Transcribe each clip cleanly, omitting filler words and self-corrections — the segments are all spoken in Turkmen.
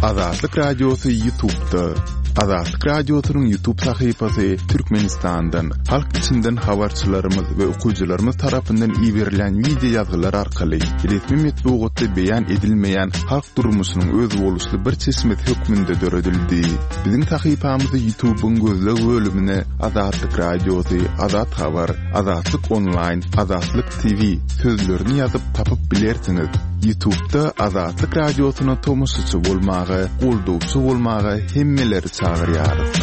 Azatlyk Radiosy Ýutubda. Azatlyk Radiosynyň Ýutub sahypasy Türkmenistandan, halk içinden habarçylarymyz we okyjylarymyz tarapyndan iberilýän wideo ýazgylar arkaly resmi metbugatda beýan edilmeýän halk durmuşynyň özboluşly bir çeşmesi hökmünde döredildi. Biziň sahypamyzy Ýutubyň gözleg bölümine Azatlyk Radiosy, Azat Habar, Azatlyk Onlaýn, Azatlyk TV sözlerini ýazyp tapyp bilersiňiz. Ýutubda Azatlyk Radiosyna tomaşaçy bolmaga, goldawçy bolmaga hemmeleri çagyrýarys.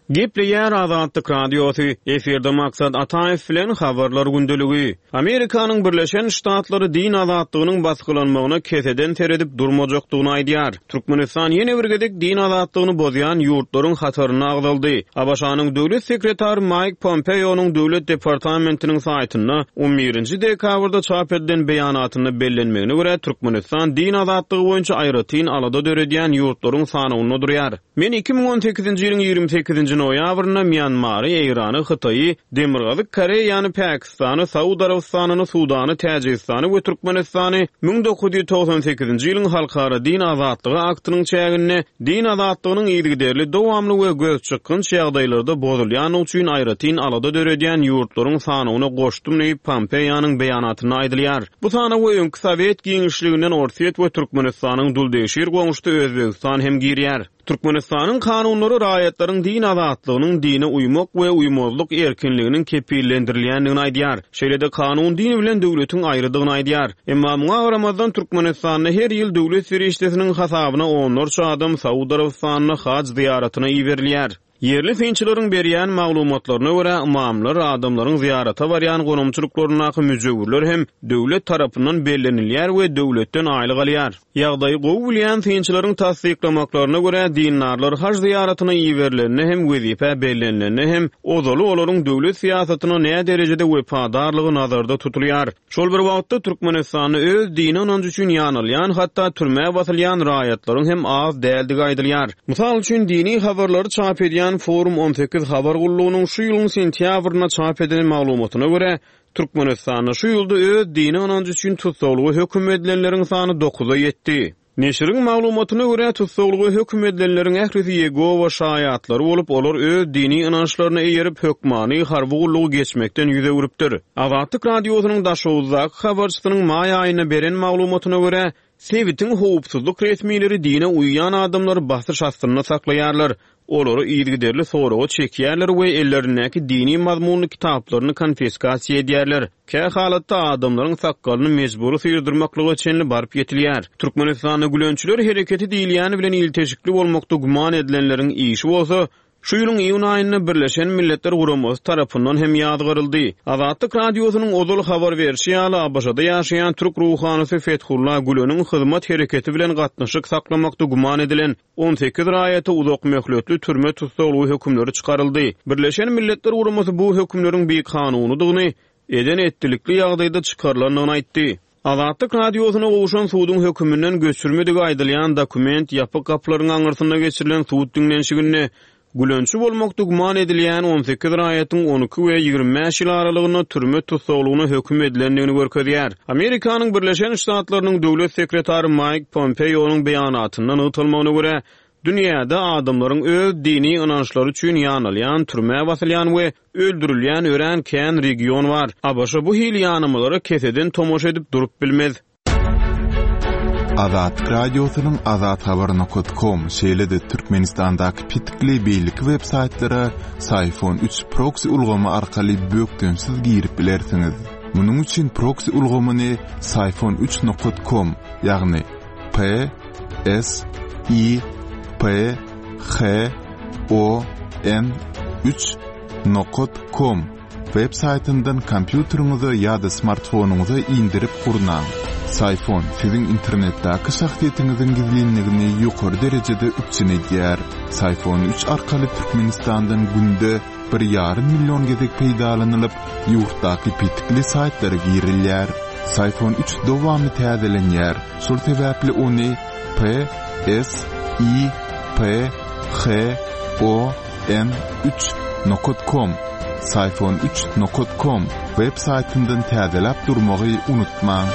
Gepleýär Azatlyk Radiosy, efirde Maksat Ataýew bilen Habarlar gündeligi. Amerikanyň Birleşen Ştatlary din azatlygynyň basgylanmagyna keseden seredip durmajakdygyny aýdýar. Türkmenistan ýene bir gezek din azatlygyny bozýan ýurtlaryň hatarynda agzaldy. ABŞ-nyň Döwlet sekretary Maýk Pompeonyň Döwlet departamentiniň saýtynda on birinji dekabrda çap edilen beýanatynda bellenmegine görä, Türkmenistan din azatlygy boýunça aýratyn alada döredýän ýurtlaryň sanawynda durýar. Men 2018-nji ýylyň 28-nji noýabrynda Mýanmary, Eýrany, Hytaýy, Demirgazyk Koreýany, Pakistany, Saud Arabystanyny, Sudany, Täjigistany we Türkmenistany 1998-nji ýylyň Halkara din azatlygy aktynyň çäginde din azatlygynyň yzygiderli, dowamly we gözçykgynç ýagdaýlarda bozulýandygy üçin aýratyn alada döredýän ýurtlaryň sanawyna goşdum diýip, Pompeonyň beýanatynda aýdylýar. Bu sanawa öňki sowet giňişliginden Orsýet we Türkmenistanyň duldegşir goňşusy Özbegistan hem girýär. Türkmenistanyň kanunlary raýatlaryň din azatlygynyň, dine uýmak we uýmazlyk erkinliginiň kepillendirilýändigini aýdýar. Şeýle-de kanun din bilen döwletiň aýrydygyny aýdýar. Emma muňa garamazdan Türkmenistanda her ýyl döwlet serişdesiniň hasabyna onlarça adam Saud Arabystanyna haj zyýaratyna iberilýär. Ýerli synçylaryň berýän maglumatlaryna görä, ymamlar, adamlaryň zyýarata barýan gonamçylyklaryndaky müjewürler hem döwlet tarapyndan bellenilýär we döwletden aýlyk alýar. Ýagdaýy gowy bilýän synçylaryň tassyklamaklaryna görä, dindarlar haj zyýaratyna iberilende hem, wezipä bellenilende hem, ozaly olaryň döwlet syýasatyna näderejede wepadarlygy nazarda tutulýar. Şol bir wagtda, Türkmenistanda öz dini ynanjy üçin ýanalýan, hatda türmä basylýan raýatlaryň hem az däldigi aýdylýar. Mysal üçin, dini habarlary çap edýän Forum 18 habar gullugynyň şu ýylyň sentýabrynda çap eden maglumatyna görä, Türkmenistanda şu ýylda öz dini ynanjy üçin tussaglyga höküm edilenleriň sany dokuza ýetdi. Neşiriň maglumatyna görä, tussaglyga höküm edilenleriň ählisi Ýegowa şaýatlary bolup, olar öz dini ynançlaryna eýerip, hökmany harby gullugy geçmekden ýüz öwrüpdir. Azatlyk Radiosynyň Daşoguzdaky habarçysynyň maý aýynda beren maglumatyna görä, sebitiň howpsuzlyk resmileri dine uýýan adamlary basyş astynda saklaýarlar, Olary yzygiderli soraga çekýärler we ellerindäki dini mazmunly kitaplaryny konfiskasiýa edýärler. Kä halatda adamlaryň sakgalyny mejbury syrdyrmaklyga çenli baryp ýetilýär. Türkmenistanda gülençiler hereketi diýilýäni bilen ilteşikli bolmakda güman edilenleriň işi bolsa, şu ýylyň iýun aýynda Birleşen Milletler Guramasy tarapyndan hem ýazgaryldy. Azatlyk Radiosynyň ozal habar berşi ýaly, ABŞ-da ýaşaýan türk ruhanysy Fethullah Güleniň Hyzmat hereketi bilen gatnaşyk saklamakda güman edilen 18 raýata uzak möhletli türme tussaglygy hökümleri çykaryldy. Birleşen Milletler Guramasy bu hökümleriň bikanunydygyny, eden-etdilikli ýagdaýda çykarylandygyny aýtdy. Azatlyk Radiosyna gowşan suduň höküminden göçürmedigi aýdylýan dokument ýapyk gapylaryň aňyrsynda geçirilen sud diňlenişiginde Gülençi bolmakda güman edilýän 18 raýatyň 12 we 25 ýyl aralygynda türme tussaglygyna höküm edilendigini görkezýär. Amerikanyň Birleşen Ştatlarynyň Döwlet sekretary Maýk Pompeonyň beýanatynda nygtalmagyna görä, dünýäde adamlaryň öz dini ynançlary üçin ýanalýan, türmä basylýan we öldürilýän örän kän region bar. ABŞ bu hili ýanamalara keseden tomaşa edip durup bilmez. Azatlyk Radiosynyň Azathabar nokat kom, şeýle-de Türkmenistandaky petikli beýleki web saýtlara Syfon üç proksi ulgamy arkaly bökdençsiz girip bilersiňiz. Munuň üçin proksi ulgamyny Syfon üç nokat kom, ýagny P S I P H O N üç nokat kom Web saýtyndan kompýuteriňize ýa-da smartfonyňyza indirip gurnaň. Syfon siziň internetdäki şahsyýetiňiziň gizlinligini ýokary derejede üpjün edýär. Syfon üç arkaly Türkmenistandan günde bir ýarym million gezek peýdalanylyp, ýurtdaky petikli saýtlara girilýär. Syfon üç dowamly täzelenýär, şol sebäpli ony P S I P H O N üç nokat kom Syfon üç nokat kom web saýtyndan täzeläp durmagy unutmaň.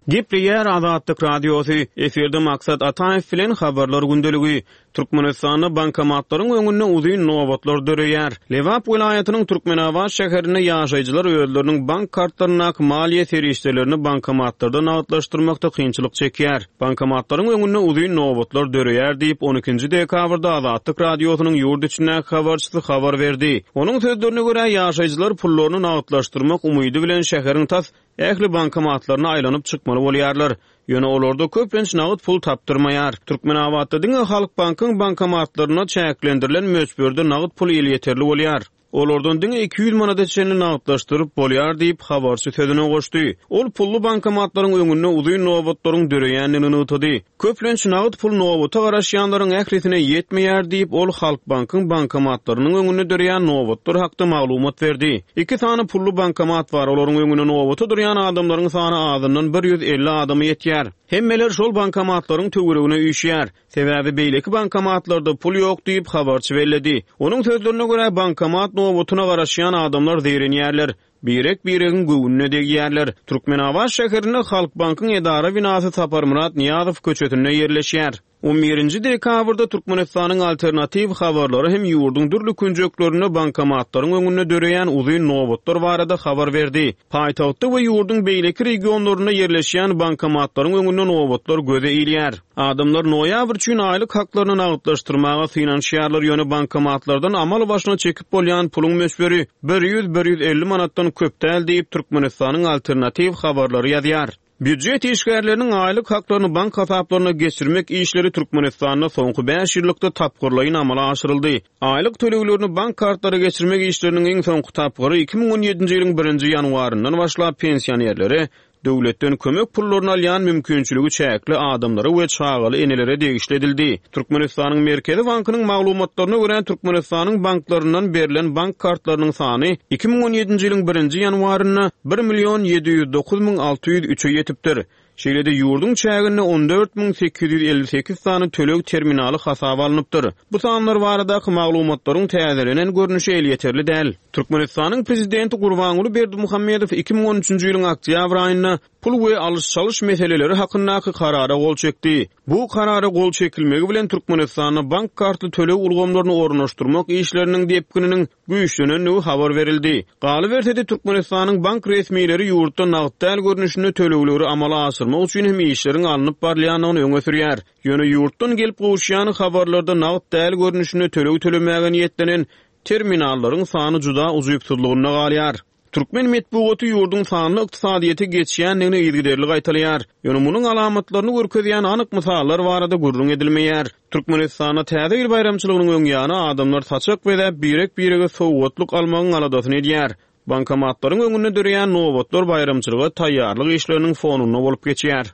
Gepleýär Azatlyk Radiosy, efirde Maksat Ataýew bilen Habarlar gündeligi. Türkmenistanda bankomatlaryň öňünde uzyn nobatlar döreýär. Lebap welaýatynyň Türkmenabat şäherinde ýaşaýjylar özleriniň bank kartlaryndaky maliýe serişdelerini bankomatlarda nagtlaşdyrmakda kynçylyk çekýär. Bankomatlaryň öňünde uzyn nobatlar döreýär diýip, on ikinji dekabrda Azatlyk Radiosynyň ýurt içindäki habarçysy habar berdi. Onuň sözlerine görä, ýaşaýjylar pullaryny nagtlaşdyrmak umydy bilen şäheriň tas Ähli bankomatlaryna aýlanyp çykmaly bolýarlar. Ýöne olarda köplenç nagt pul tapdyrmaýar. Türkmenabatda diňe Halkbankyň bankomatlarynda çäklendirilen möçberde nagt pul elýeterli bolýar. Olardan diňe 200 manada çenli nagtlaşdyryp bolýar diýip, habarçy sözüne goşdy. Ol pully bankomatlaryň öňünde uzyn nobatlaryň döreýändigini nygtady. Köplenç nagt pul nobata garaşýanlaryň ählisine ýetmeýär diýip, ol Halkbankyň bankomatlarynyň öňünde döreýän nobatlar hakda maglumat berdi. Iki sany pully bankomat bar, olaryň öňünde nobata durýan adamlaryň sany azyndan 150 adama ýetýär. Hemmeler şol bankomatlaryň töweregine üýşýär. Sebäbi beýleki bankomatlarda pul ýok diýip, habarçy belledi. Onuň sözlerine görä, bankomat nobatyna garaşýan adamlar zeýrenýärler. Birek-biregiň göwnüne degýärler. Türkmenabat şäherinde Halkbankyň edara binasy Saparmyrat Nyýazow köçesinde ýerleşýär. On birinji dekabrda Türkmenistanyň alternatiw habarlary hem ýurduň dürli künjeklerinde bankomatlaryň öňünde döreýän uzyn nobatlar barada habar berdi. Paýtagtda we ýurduň beýleki regionlarynda ýerleşýän bankomatlaryň öňünde nobatlar göze ilýär. Adamlar noýabr üçin aýlyk haklaryny nagtlaşdyrmaga synanyşýarlar, ýöne bankomatlardan amal başyna çekip bolýan puluň möçberi 100-150 manatdan köp däl diýip, Türkmenistanyň alternatiw habarlary ýazýar. Býujet işgärleriniň aýlyk haklaryny bank hasaplaryna geçirmek işleri Türkmenistanda soňky bäş ýyllykda tapgyrlaýyn amala aşyryldy. Aýlyk töleglerini bank kartlara geçirmek işleriniň iň soňky tapgyry 2017-nji ýylyň birinji ýanwaryndan başlap pensionerlere, Döwletden kömek pullaryny alýan mümkinçiligi çäkli adamlara we çagaly enelere degişli edildi. Türkmenistanyň Merkezi bankynyň maglumatlaryna görä, Türkmenistanyň banklaryndan berlen bank kartlarynyň sany 2017-nji ýylyň birinji ýanwarynda bir million 709 müň 603-e ýetipdir. Şeýle-de ýurduň çäginde 14 858 sany töleg terminaly hasaba alnypdyr. Bu sanlar baradaky maglumatlaryň täzelenen görnüşi elýeterli däl. Türkmenistanyň Prezidenti Gurbanguly Berdimuhamedow 2013-nji ýylyň oktýabr aýynda pul we alyş-çalyş meseleleri hakyndaky Karara gol çekdi. Bu Karara gol çekilmegi bilen Türkmenistanda bank kartly töleg ulgamlaryny ornaşdyrmak işleriniň depgininiň güýçlenendigi habar berildi. Galyberse-de, Türkmenistanyň bank resmileri ýurtda nagt däl görnüşinde tölegleri amala aşyrmak üçin hem işleriň alnyp barylýandygyny öňe sürýär. Ýöne ýurtdan gelip gowuşýan habarlarda nagt däl görnüşinde töleg tölemäge niýetlenen terminallaryň sany juda ujypsyzlygynda galýar. Türkmen metbugaty ýurduň sanly ykdysadyýete geçýändigini yzygiderli gaýtalaýar. Ýöne munuň alamatlaryny görkezýän anyk mysallar barada gürrüň edilmeýär. Türkmenistanda Täze ýyl baýramçylygynyň öň ýany adamlar saçak bezäp, birek-birege sowgatlyk almagyň aladasyny edýär. Bankomatlaryň öňünde döreýän nobatlar baýramçylyga taýýarlyk işleriniň fonunda bolup geçýär.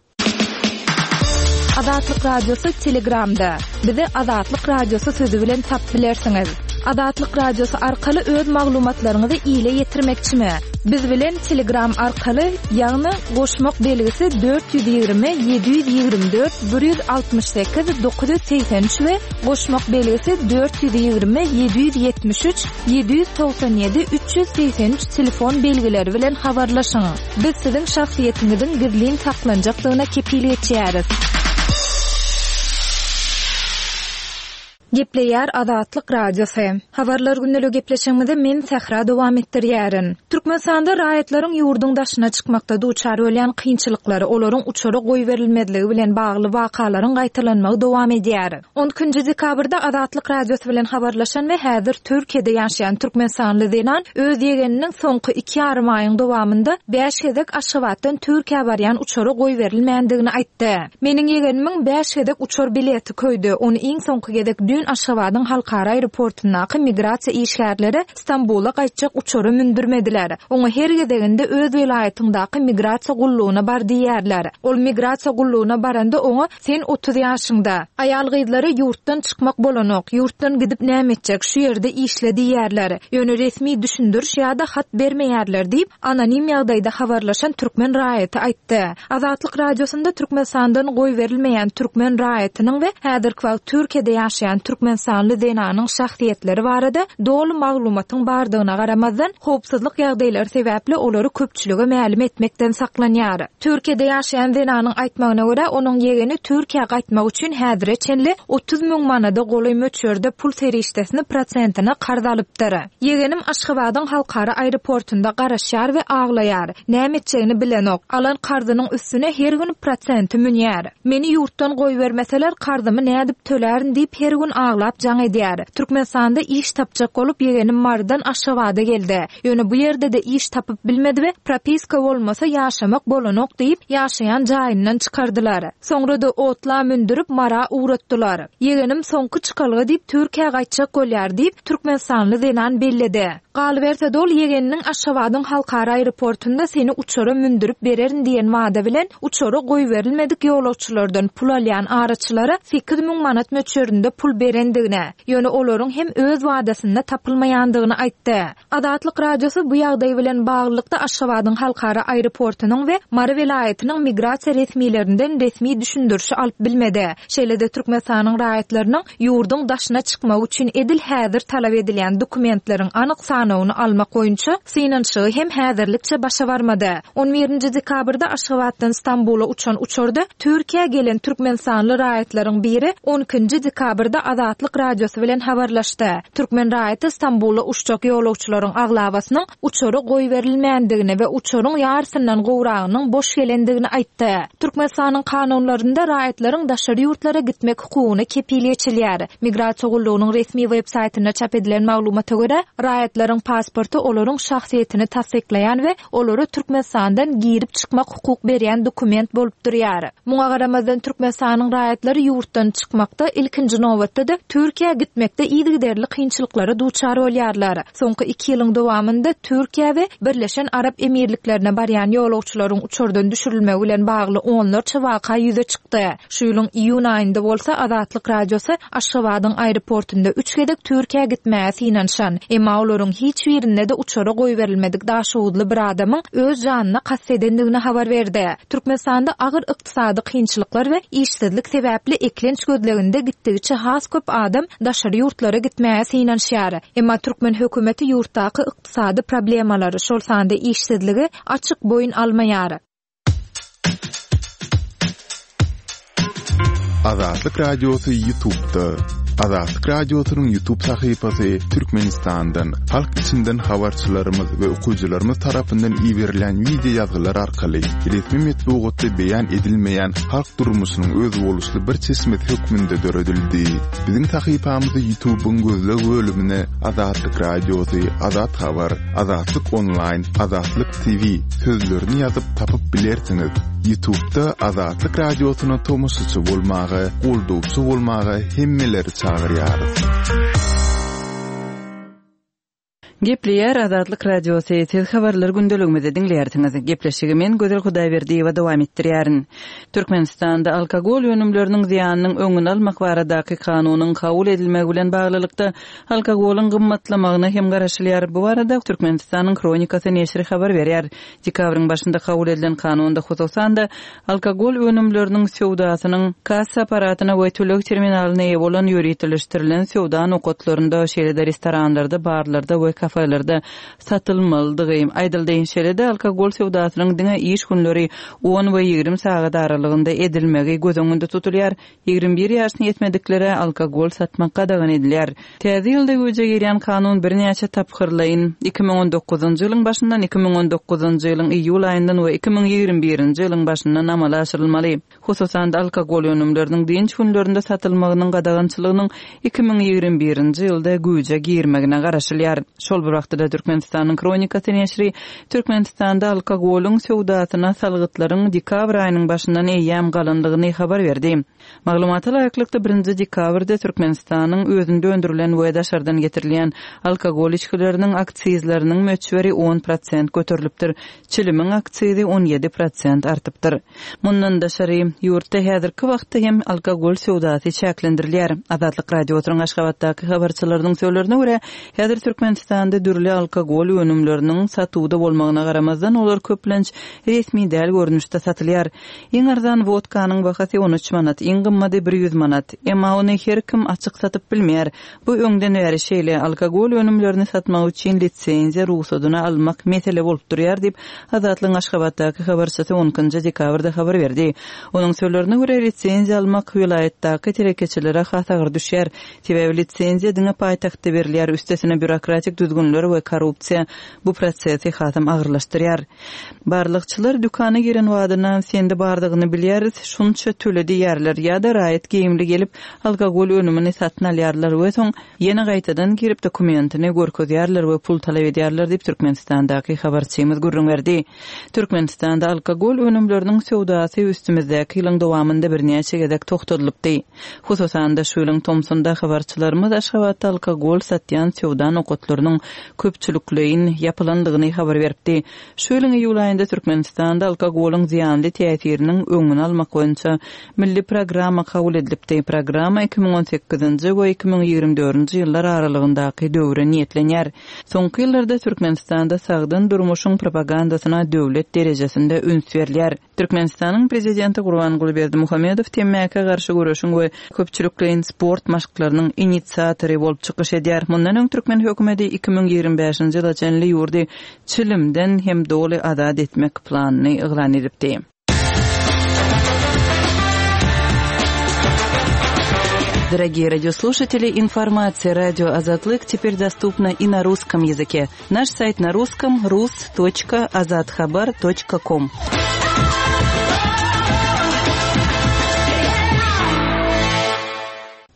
Azatlyk Radiosy Telegramda. Bizi Azatlyk Radiosy sözi bilen tapyp bilersiňiz. Azatlyk Radiosy arkaly öz maglumatlaryňyzy ile ýetirmekçimi? Biz bilen Telegram arkaly, ýagny goşmak belgisi 420 724 168 983 we goşmak belgisi 420 773 797 383 telefon belgileri bilen habarlaşyň. Biz siziň şahsyýetiňiziň gizlin saklanjakdygyna kepil geçýäris. Gepleýär Azatlyk Radiosy. Habarlar gündeligi gepleşigimizi men Sähra dowam etdirýärin. Türkmenistanda raýatlaryň ýurduň daşyna çykmakda duçar bolýan kynçylyklary, olaryň uçara goýberilmezligi bilen bagly wakalaryň gaýtalanmagy dowam edýär. On ikinji dekabrda Azatlyk Radiosy bilen habarlaşan we häzir Türkiýede ýaşaýan türkmenistanly zenan öz ýegeniniň soňky iki ýarym aýyň dowamynda bäş gezek Aşgabatdan Türkiýä barýan uçara goýberilmändigini aýtdy. Meniň ýegenimiň bäş gezek uçar bileti köýdi. Ony iň soňky gezek düýn Aşgabadyň halkara aeroportundaky migrasiýa işgärleri Stambula gaýtjak uçara mündürmediler. Oňa her gezeginde öz welaýatyňdaky migrasiýa gullugyna bar diýýärler. Ol migrasiýa gullugyna baranda oňa Sen 30 ýaşyňda. Aýal-gyzlara ýurtdan çykmak bolanok, ýurtdan gidip näme etjek, şu ýerde işle diýýärler. Ýöne resmi düşündiriş ýa-da hat bermeýärler diýip, anonim ýagdaýda habarlaşan türkmen raýaty aýtdy. Azatlyk Radiosynda Türkmenistandan goýberilmeýän türkmen raýatynyň we häzirki wagt Türkiýede ýaşaýan. türkmenistanly zenanyň şahsyýetleri barada doly maglumatyň bardygyna garamazdan, howpsuzlyk ýagdaýlary sebäpli olary köpçülige mälim etmekden saklanýar. Türkiýede ýaşaýan zenanyň aýtmagyna görä, onuň ýegeni Türkiýä gaýtmak üçin häzire çenli 30 müň manada golaý möçberde pul serişdesini prosentine karz alypdyr. Ýegenim Aşgabadyň halkara aeroportunda garaşýar we aglaýar. Näme etjegini bilenok. Alan karzynyň üstüne her gün prosenti münýär. Meni ýurtdan goýbermeseler, karzymy nädip tölärin diýip her gün aglap jaň edýär. Türkmenistanda iş tapjak bolup ýegenim Marydan Aşgabada geldi. Ýöne bu ýerde-de iş tapyp bilmedi we propiska bolmasa ýaşamak bolanok diýip, ýaşaýan jaýyndan çykardylar. Soňra-da otla mündürip Mara ugratdylar. Ýegenim soňky çykalga diýip Türkiýä gaýtjak bolýar diýip, türkmenistanly zenan belledi. Galyberse-de ol ýegeniniň Aşgabadyň halkara aeroportunda seni uçara mündürip bererin diýen wada bilen uçara goýberilmedik ýolagçylardan pul alýan araçylara 8000 manat möçberinde pul berendigini, ýöne olaryň hem öz wadasynda tapylmaýandygyny aýtdy. Azatlyk Radiosy bu ýagdaý bilen baglylykda Aşgabadyň halkara aeroportunyň we Mary welaýatynyň migrasiýa resmilerinden resmi düşündirişi alyp bilmedi. Şeýle-de Türkmenistanyň raýatlarynyň ýurduň daşyna çykmagy üçin edil häzir talap edilýän dokumentleriň anyk sanawyny almak boýunça synanyşygy hem häzirlikçe başa barmady. On birinji dekabrda Aşgabatdan Stambula uçan uçarda Türkiýä gelen türkmenistanly raýatlaryň biri on ikinji dekabrda Azatlyk Radiosy bilen habarlaşdy. Türkmen raýaty Stambula uçjak ýolagçylaryň aglabasynyň uçara goýberilmändigini we uçaryň ýarysyndan gowragynyň boş gelendigini aýtdy. Türkmenistanyň kanunlarynda raýatlaryň daşary ýurtlara gitmek hukugyna kepil geçilýär. Migrasiýa gullugynyň resmi web saýtynda çap edilen maglumata görä, raýatlaryň pasporty olaryň şahsyýetini tassyklaýan we olara Türkmenistandan girip-çykmak hukuk berýän dokument bolup durýar. Muňa garamazdan, Türkmenistanyň raýatlary ýurtdan çykmakda, ilkinji nobatda-da, Türkiýä gitmekde yzygiderli kynçylyklara duçar bolýarlar. Soňky iki ýylyň dowamynda Türkiýä we Birleşen Arap Emirliklerine barýan ýolagçylaryň uçardan düşürilmegi bilen bagly onlarça waka ýüze çykdy. Şu ýylyň iýun aýynda bolsa Azatlyk Radiosy Aşgabadyň aeroportunda üç gezek Türkiýä gitmäge synanyşan, emma olaryň hiç birinde-de uçara goýberilmedik daşoguzly bir adamyň öz janyna kast edendigini habar berdi. Türkmenistanda agyr ykdysady kynçylyklar we işsizlik sebäpli eklenç gözleginde gitdigiçe has köp adam daşary ýurtlara gitmäge synanyşýar. Emma türkmen hökümeti ýurtdaky ykdysady problemalary, şol sanda işsizligi açyk boýun almaýar. Azatlyk Radiosy Ýutubda. Azatlyk Radiosynyň Ýutub sahypasy Türkmenistandan, halk içinden habarçylarymyz we okyjylarymyz tarapyndan iberilýän wideo ýazgylar arkaly resmi metbugatda beýan edilmeýän halk durmuşynyň özboluşly bir çeşmesi hökmünde döredildi. Biziň sahypamyzy Ýutubyň gözleg bölümine Azatlyk Radiosy, Azat Habar, Azatlyk Onlaýn, Azatlyk TV sözlerini ýazyp tapyp bilersiňiz. Ýutubda Azatlyk Radiosyna tomaşaçy bolmaga, goldawçy bolmaga hemmeleri çagyrýarys. Gepleýär Azatlyk Radiosy, siz habarlar gündeligimizi diňleýärsiňiz. Gepleşigi men Gözel Hudaýberdiýewa dowam etdirýärin. Türkmenistanda alkogol önümleriniň zyýanynyň öňüni almak baradaky kanunyň kabul edilmegi bilen baglylykda, Alkogolyň gymmatlamagyna hem garaşylýar. Bu barada Türkmenistanyň Hronikasy neşiri habar berýär. Dekabryň başynda kabul edilen kanunda, hususan-da, alkogol önümleriniň söwdasynyň kassa apparatyna we töleg terminalyna eýe bolan ýöriteleşdirilen söwda nokatlarynda, şeýle-de restoranlarda, barlarda we kafelerde satylmalydygy aýdyldy. Şeýle-de, alkogol söwdasynyň diňe iş günleri on we 20 sagat aralygynda edilmegi göz öňünde tutulýar. 21 ýaşyna ýetmediklere alkogol satmak gadagan edilýär. Täze ýylda güýje girýän kanun birnäçe tapgyrlaýyn, 2019-njy ýylyň başyndan, 2019-njy ýylyň iýul aýyndan we 2021-nji ýylyň başyndan amala aşyrylmaly. Hususan-da, alkogol önümleriniň dynç günlerinde satylmagynyň gadagançylygynyň 2021-nji ýylda güýje girmegine garaşylýar. Şol bir wagtda-da Türkmenistanyň Hronikasy neşiri Türkmenistanda alkogolyň söwdasyna salgytlaryň dekabr aýynyň başyndan eýýäm galandygyny habar berdi. Maglumata laýyklykda, birinji dekabrda Türkmenistanyň özünde öndürilen we daşardan getirilýän alkogol içgileriniň aksizleriniň möçberi on prosent göterilipdir, çilimiň aksizi 17 prosent artypdyr. Mundan daşary, ýurtda häzirki wagtda hem alkogol söwdasy çäklendirilýär. Azatlyk Radiosynyň Aşgabatdaky habarçylarynyň sözlerine görä, häzir Türkmenistanda. Türkmenistanda dürli alkogol önümleriniň satuwda bolmagyna garamazdan, olar köplenç resmi däl görnüşde satylýar. Iň arzan wodkanyň bahasy 13 manat, iň gymmady 100 manat. Emma ony her kim açyk satyp bilmeýär. Bu öňden bäri şeýle, alkogol önümlerini satmak üçin lisenziýa rugsadyny almak mesele bolup durýar diýip, Azatlygyň Aşgabatdaky habarçysy on ikinji dekabrda habar berdi. Onuň sözlerine görä, lisenziýa almak welaýatdaky telekeçilere has agyr düşýär. Sebäbi lisenziýa diňe paýtagtda berilýär, üstesine býurokratik düzgünler we korrupsiýa bu prosesi hasam agyrlaşdyrýar. Barlagçylar dükana giren badyna sende bardygyny bilýäris, şunça töle diýýärler ýa-da raýat geýimli gelip, alkogol önümini satyn alýarlar we soň ýene gaýtadan girip dokumentini görkezýärler we pul talap edýärler diýip, Türkmenistandaky habarçymyz gürrüň berdi. Türkmenistanda alkogol önümleriniň söwdasy üstümizdäki ýylyň dowamynda birnäçe gezek togtadylypdy. Hususan-da, şu ýylyň tomsunda habarçylarymyz Aşgabatda alkogol satýan söwda nokatlarynyň köpçülikleýin ýapylandygyny habar beripdi. Şu ýylyň iýul aýynda Türkmenistanda alkogolyň zyýanly täsiriniň öňüni almak boýunça milli programma kabul edilipdi. Programma 2018-nji we 2024-nji ýyllar aralygyndaky döwre niýetlenýär. Soňky ýyllarda Türkmenistanda sagdyn durmuşyň propagandasyna döwlet derejesinde üns berilýär. Türkmenistanyň Prezidenti Gurbanguly Berdimuhamedow temmäkä garşy göreşiň we köpçülikleýin sport maşklarynyň inisiatory bolup çykyş edýär. Mundan öň türkmen hökümeti 2025-nji ýyla çenli ýurdy çilimden hem doly azat etmek planyny yglan edipdi. Дорогие радиослушатели, информация радио Азатлык теперь доступна и на русском языке. Наш сайт на русском rus.azathabar.com.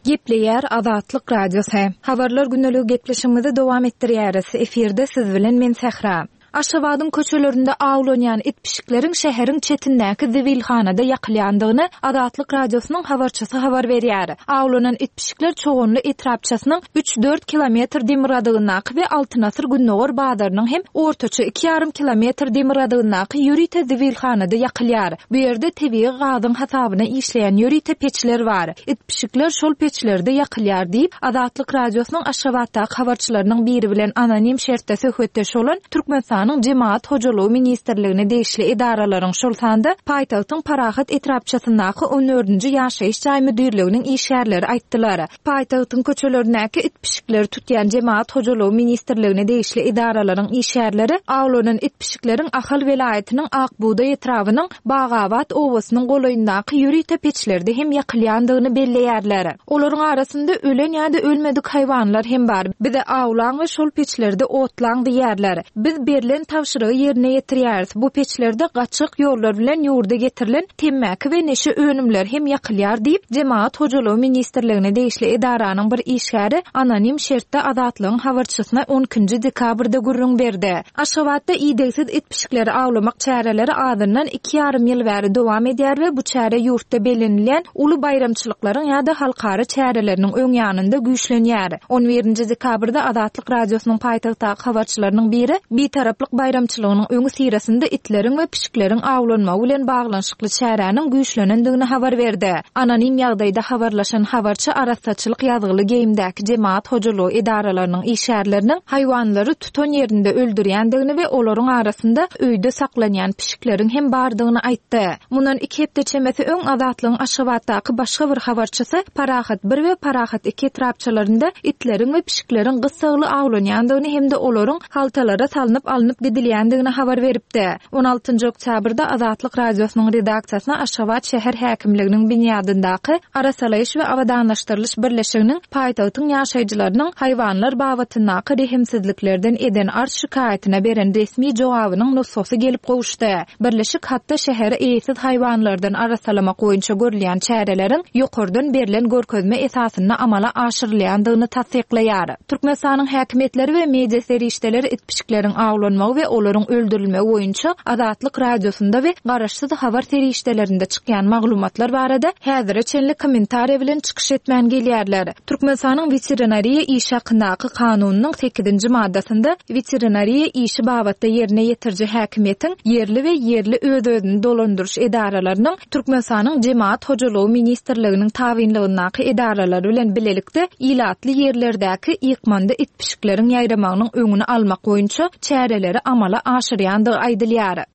Gepleýär Azatlyk Radiosy. Habarlar gündeligi gepleşigimizi dowam etdirýäris. Efirde siz bilen men Sähra. Aşgabadyň köçelerinde awlanýan it-pişikleriň şäheriň çetindäki zibilhanada ýakylýandygyny Azatlyk Radiosynyň habarçysy habar berýär. Awlanan it-pişikler Çoganly etrapçasynyň üç-dört kilometr demirgazygyndaky we Altyn asyr gündogar bazarynyň hem ortaça iki ýarym kilometr demirgazygyndaky ýörite zibilhanada ýakylýar. Bu ýerde tebigy gazyň hasabyna işleýän ýörite peçler bar. It-pişikler şol peçlerde ýakylýar diýip, Azatlyk Radiosynyň Aşgabatdaky habarçylarynyň biri bilen anonim şertde söhbetdeş bolan Türkmenistanyň Jemagat hojalygy ministrligine degişli edaralaryň, şol sanda paýtagtyň Parahat etrapçasyndaky on dördünji ýaşaýyş jaý müdirliginiň işgärleri aýtdylar. Paýtagtyň köçelerindäki it-pişikleri tutýan Jemagat hojalygy ministrligine degişli edaralaryň işgärleri awlanan it-pişikleriň Ahal welaýatynyň Ak bugdaý etrabynyň Bagabat obasynyň golaýyndaky ýörite peçlerde hem ýakylýandygyny belleýärler. Olaryň arasynda ölen ýa-da ölmedik haýwanlar hem bar. Bize awlaň we şol peçlerde otlaň diýýärler. Biz berlen tabşyrygy ýerine ýetirýäris. Bu peçlerde gaçgak ýollar bilen ýurda getirilen temmäki we neşe önümleri hem ýakylýar diýip, Jemagat hojalygy ministrligine degişli edaranyň bir işgäri anonim şertde Azatlygyň habarçysyna on ikinji dekabrda gürrüň berdi. Aşgabatda idegsiz it-pişikleri awlamak çäreleri azyndan iki ýarym ýyl bäri dowam edýär we bu çäre ýurtda bellenilýän uly baýramçylyklaryň ýa-da halkara çäreleriniň öň ýanynda güýçlenýär. On birinji dekabrda Azatlyk Radiosynyň paýtagtdaky habarçylarynyň biri Bitaraplyk baýramçylygynyň öňüsyrasynda itleriň we pişikleriň awlanmagy bilen baglanyşykly çäräniň güýçlenendigini habar berdi. Anonim ýagdaýda habarlaşan habarçy arassaçylyk ýazgyly geýimdäki jemagat hojalygy edaralarynyň işgärleriniň haýwanlary tutan ýerinde öldürýändigini we olaryň arasynda öýde saklanýan pişikleriň hem bardygyny aýtdy. Mundan iki hepde çemesi öň Azatlygyň Aşgabatdaky başga bir habarçysy Parahat bir we Parahat iki etrapçalarynda itleriň we pişikleriň gyssagly awlanýandygyny hem-de olaryň haltalara salnyp alnyp gidilýändigini habar beripdi. On altynjy oktýabrda Azatlyk Radiosynyň redaksiýasyna Aşgabat şäher häkimliginiň binýadyndaky Arasalaýyş we abadanlaşdyrylyş birleşiginiň paýtagtyň ýaşaýjylarynyň haýwanlar babatyndaky rehimsizliklerden eden arz-şikaýatyna beren resmi jogabynyň nusgasy gelip gowuşdy. Birleşik hatda şäheri eýesiz haýwanlardan arassalamak boýunça görülýän çäreleriň ýokardan berlen görkezme esasynda amala aşyrylýandygyny tassyklaýar. Türkmenistanyň häkimiýetleri we media serişdeleri it-pişikleriň awlanmagyny. zorlanmagy we olaryň öldürilmegi boýunça Azatlyk Radiosynda we garaşsyz habar serişdelerinde çykýan maglumatlar barada häzire çenli kommentariýa bilen çykyş etmän gelýärler. Türkmenistanyň Weterinariýa işi hakyndaky Kanunynyň sekizinji maddasynda weterinariýa işi babatda ýerine ýetiriji häkimiýetiň ýerli we ýerli öz-özüni dolandyryş edaralarynyň Türkmenistanyň Jemagat hojalygy ministrliginiň tabynlygyndaky edaralary bilen bilelikde ilatly ýerlerdäki ýykmanda it-pişikleriň ýaýramagynyň öňüni almak boýunça çäreleri amala aşyrýandygy aýdylýar.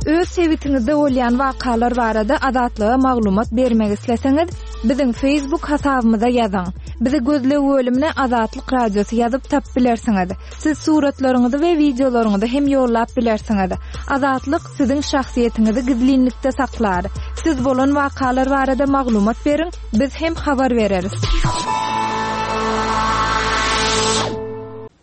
Öz sebitiňizde bolýan wakalar barada Azatlyga maglumat bermek isleseňiz, biziň Facebook hasabymyza ýazyň. Bizi gözleg bölümine Azatlyk Radiosy ýazyp tapyp bilersiňiz. Siz suratlaryňyzy we wideolaryňyzy hem ýollap bilersiňiz. Azatlyk siziň şahsyýetiňizi gizlinlikde saklar. Siz bolan wakalar barada maglumat beriň, biz hem habar bereris.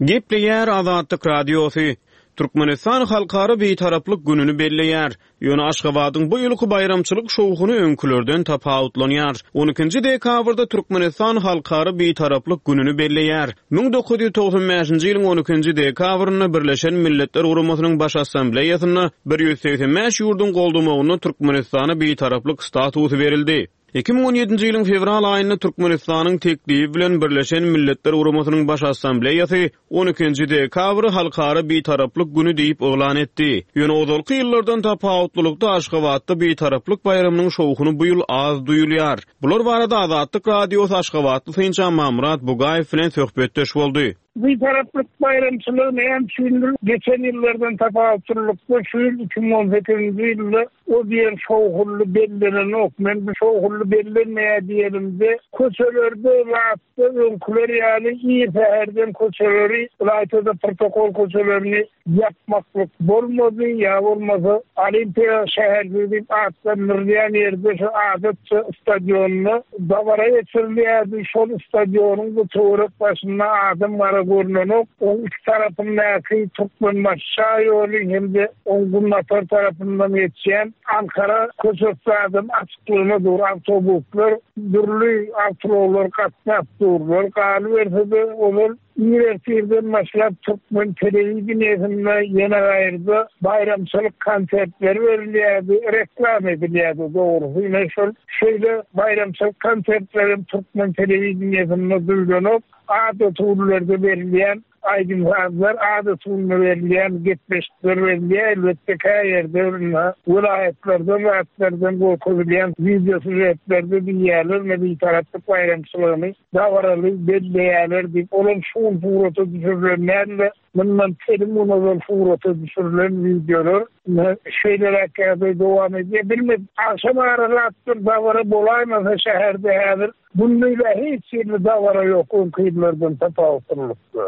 Gepleýär Azatlyk Radiosy, Türkmenistan Halkara Bitaraplyk gününi belleýär. Ýöne Aşgabadyň bu ýylky baýramçylyk şowhuny öňkülerden tapawutlanýar. On ikinji dekabrda Türkmenistan Halkara Bitaraplyk gününi belleýär. 1995-nji ýylyň on ikinji dekabrynda Birleşen Milletler Guramasynyň Baş Assambleýasynda 185 ýurduň goldamagynda Türkmenistana Bitaraplyk statusy berildi. 2017-nji ýylyň fewral aýynda Türkmenistanyň teklibi bilen Birleşen Milletler Guramasynyň Baş Assambleýasy on ikinji dekabry Halkara Bitaraplyk güni diýip yglan etdi. Ýöne ozalky ýyllardan tapawutlylykda Aşgabatda Bitaraplyk baýramynyň şowhuny bu ýyl az duýulýar. Bular barada Azatlyk Radiosy aşgabatly synçy Amanmyrat Bugaýew bilen söhbetdeş boldy. Bitaraplyk baýramçylygy näme üçindir geçen ýyllardan tapawutlylykda şu ýyl 2018-nji ýylda o diýen şowhunly bellenenok. Men bu şowhunly bellenmeýär diýenimde köçelerde zatda öňküler ýaly ir säherden köçeleri ylaýta-da protokol köçelerini ýapmaklyk bolmady, ýa bolmasa Olimpiýa şäherjigi diýip atlandyrylýan ýerde şu adatça stadionda dabara geçirilýärdi, şol stadionyň-da töwerek başynda adam-gara görnenok, oň iki tarapyndaky Türkmenbaşy şaýoly hem-de oň günbatar tarapyndan geçýän Ankara köçesi adam açyklygyna dur, awtobuslar, dürli awtoulaglar gatnap durlar, galyberse-de ozal Ir ertirden başlap türkmen telewideniýesinde ýene gaýrda baýramçylyk konsertleri berilýärdi, reklama edilýärdi dogrusy ine şol şeýle baýramçylyk konsertlerem türkmen telewideniýesinde duýlanok, adaty günlerde berilýän aýdym-sazlar, adaty günde berilýän gepleşikler berilýär, elbetde kä ýerde indi welaýatlardan zatlardan görkezilýän wideo sýužetlerde diýýärler ine bitaraplyk baýramçylygyny dabaraly belleýärler diýip, olam şu gün surata düşürilen däl-de, mundan telim gün ozal surata düşürilen wideolar. Ine, şeýleräk ýagdaý dowam edýär. Bilmedim, agşam ara zatlar dabara bolaýmasa şäherde häzir gündiz-ä hiç hili dabara ýok öňki ýyllardan tapawutlylykda.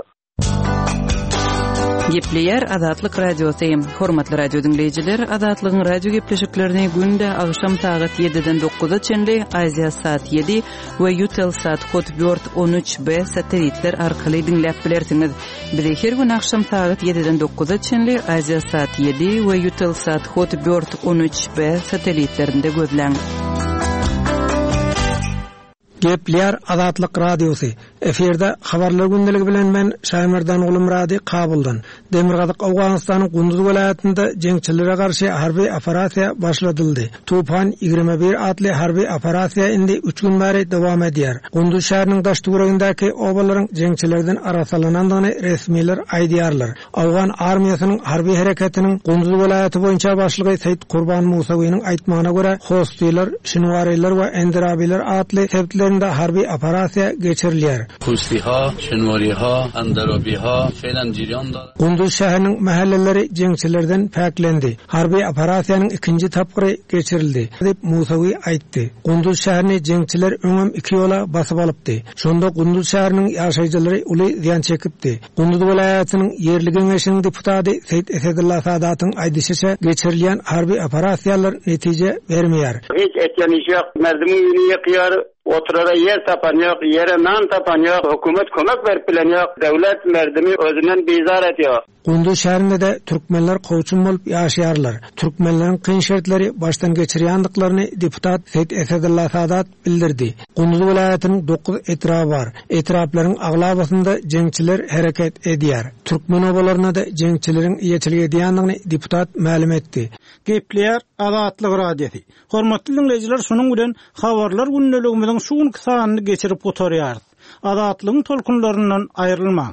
Gepleýär Azatlyk Radiosy. Hormatly radio diňleýjiler, Azatlygyň radio gepleşiklerini günde agşam sagat 7-den 9-a çenli Aziasat 7 we Eutelsat Hotbird 13B satelitler arkaly diňläp bilersiňiz. Bizi her gün agşam sagat 7-den 9-a çenli Aziasat 7 we Eutelsat Hotbird 13B satelitlerinde gözläň. Gepleýär Azatlyk Radiosy, Efirde Habarlar gündeligi bilen men Şaýmerdan Gulumyrady Kabuldan. Demirgazyk Owganystanyň Gunduz welaýatynda jeňçilere garşy harby operasiýa başladyldy. Tupan 21 atly harby operasiýa indi üç gün bäri dowam edýär. Gunduz şäheriniň daş-töweregindäki obalaryň jeňçilerden arassalanandygyny resmiler aýdýarlar. Owgan armiýasynyň harby hereketiniň Gunduz welaýaty boýunça başlygy Seýit Kurban Musawynyň aýtmagyna görä, Hostiler, Şinwariler we Endirabiler atly sebitlerinde harby operasiýa geçirilýär. Hostiha, Şinwariha, Endirabiha feýlen jeriýan darar. Gunduz şäheriniň mähelleleri jeňçilerden päklendi. Harby operasiýanyň ikinji tapgyry geçirildi, diýip, Musawi aýtdy. Gunduz şäherini jeňçiler öňem iki ýola basyp alypdy. Şonda Gunduz şäheriniň ýaşaýjylary uly zyýan çekipdi. Gunduz welaýatynyň ýerli geňeşiniň deputady Seýit Esedulla Sadatyň aýdyşyça, geçirilýän harby operasiýalar netije bermeýär. Hiç etýän işi ýok. Merdimiň öýüni ýykýar, oturara ýer tapan ýok, ýere nan tapan ýok, hökümet kömek berip bilen ýok. Döwlet merdimi özünden bizar edýär. Gunduz şäherinde-de türkmenler kowçum bolup ýaşaýarlar. Türkmenleriň kyn şertleri başdan geçirýändiklaryny deputat Seýit Esedulla Sadat bildirdi. Gunduz welaýatynyň dokuz etraby bar. Etraplaryň aglabasynda jeňçiler hereket edýär. Türkmen obalaryna-da jeňçileriň eýeçilik edýändigini deputat mälim etdi. Gepleýär Azatlyk Radiosy. Hormatly diňleýjiler şunuň bilen Habarlar gündeligimiziň şu günki sanyny geçirip gutarýarys. Azatlygyň tolkunlaryndan aýrylmaň.